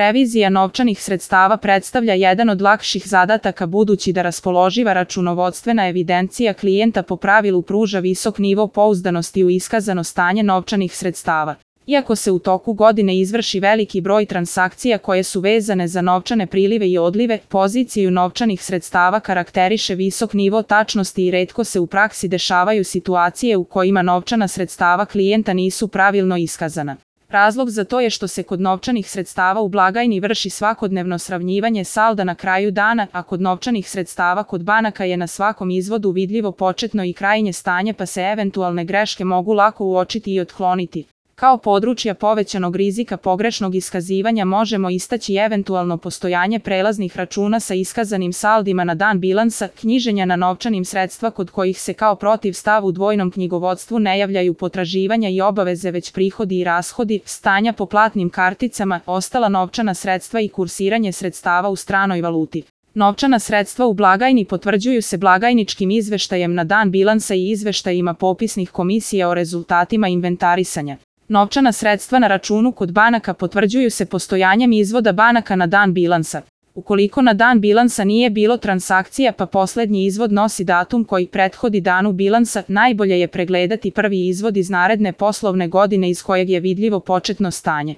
Revizija novčanih sredstava predstavlja jedan od lakših zadataka budući da raspoloživa računovodstvena evidencija klijenta po pravilu pruža visok nivo pouzdanosti u iskazano stanje novčanih sredstava. Iako se u toku godine izvrši veliki broj transakcija koje su vezane za novčane prilive i odlive, poziciju novčanih sredstava karakteriše visok nivo tačnosti i retko se u praksi dešavaju situacije u kojima novčana sredstava klijenta nisu pravilno iskazana. Razlog za to je što se kod novčanih sredstava u blagajni vrši svakodnevno sravnjivanje salda na kraju dana, a kod novčanih sredstava kod banaka je na svakom izvodu vidljivo početno i krajnje stanje pa se eventualne greške mogu lako uočiti i otkloniti. Kao područja povećanog rizika pogrešnog iskazivanja možemo istaći eventualno postojanje prelaznih računa sa iskazanim saldima na dan bilansa, knjiženja na novčanim sredstva kod kojih se kao protivstav u dvojnom knjigovodstvu ne javljaju potraživanja i obaveze već prihodi i rashodi, stanja po platnim karticama, ostala novčana sredstva i kursiranje sredstava u stranoj valuti. Novčana sredstva u blagajni potvrđuju se blagajničkim izveštajem na dan bilansa i izveštajima popisnih komisija o rezultatima inventarisanja. Novčana sredstva na računu kod banaka potvrđuju se postojanjem izvoda banaka na dan bilansa. Ukoliko na dan bilansa nije bilo transakcija pa poslednji izvod nosi datum koji prethodi danu bilansa, najbolje je pregledati prvi izvod iz naredne poslovne godine iz kojeg je vidljivo početno stanje.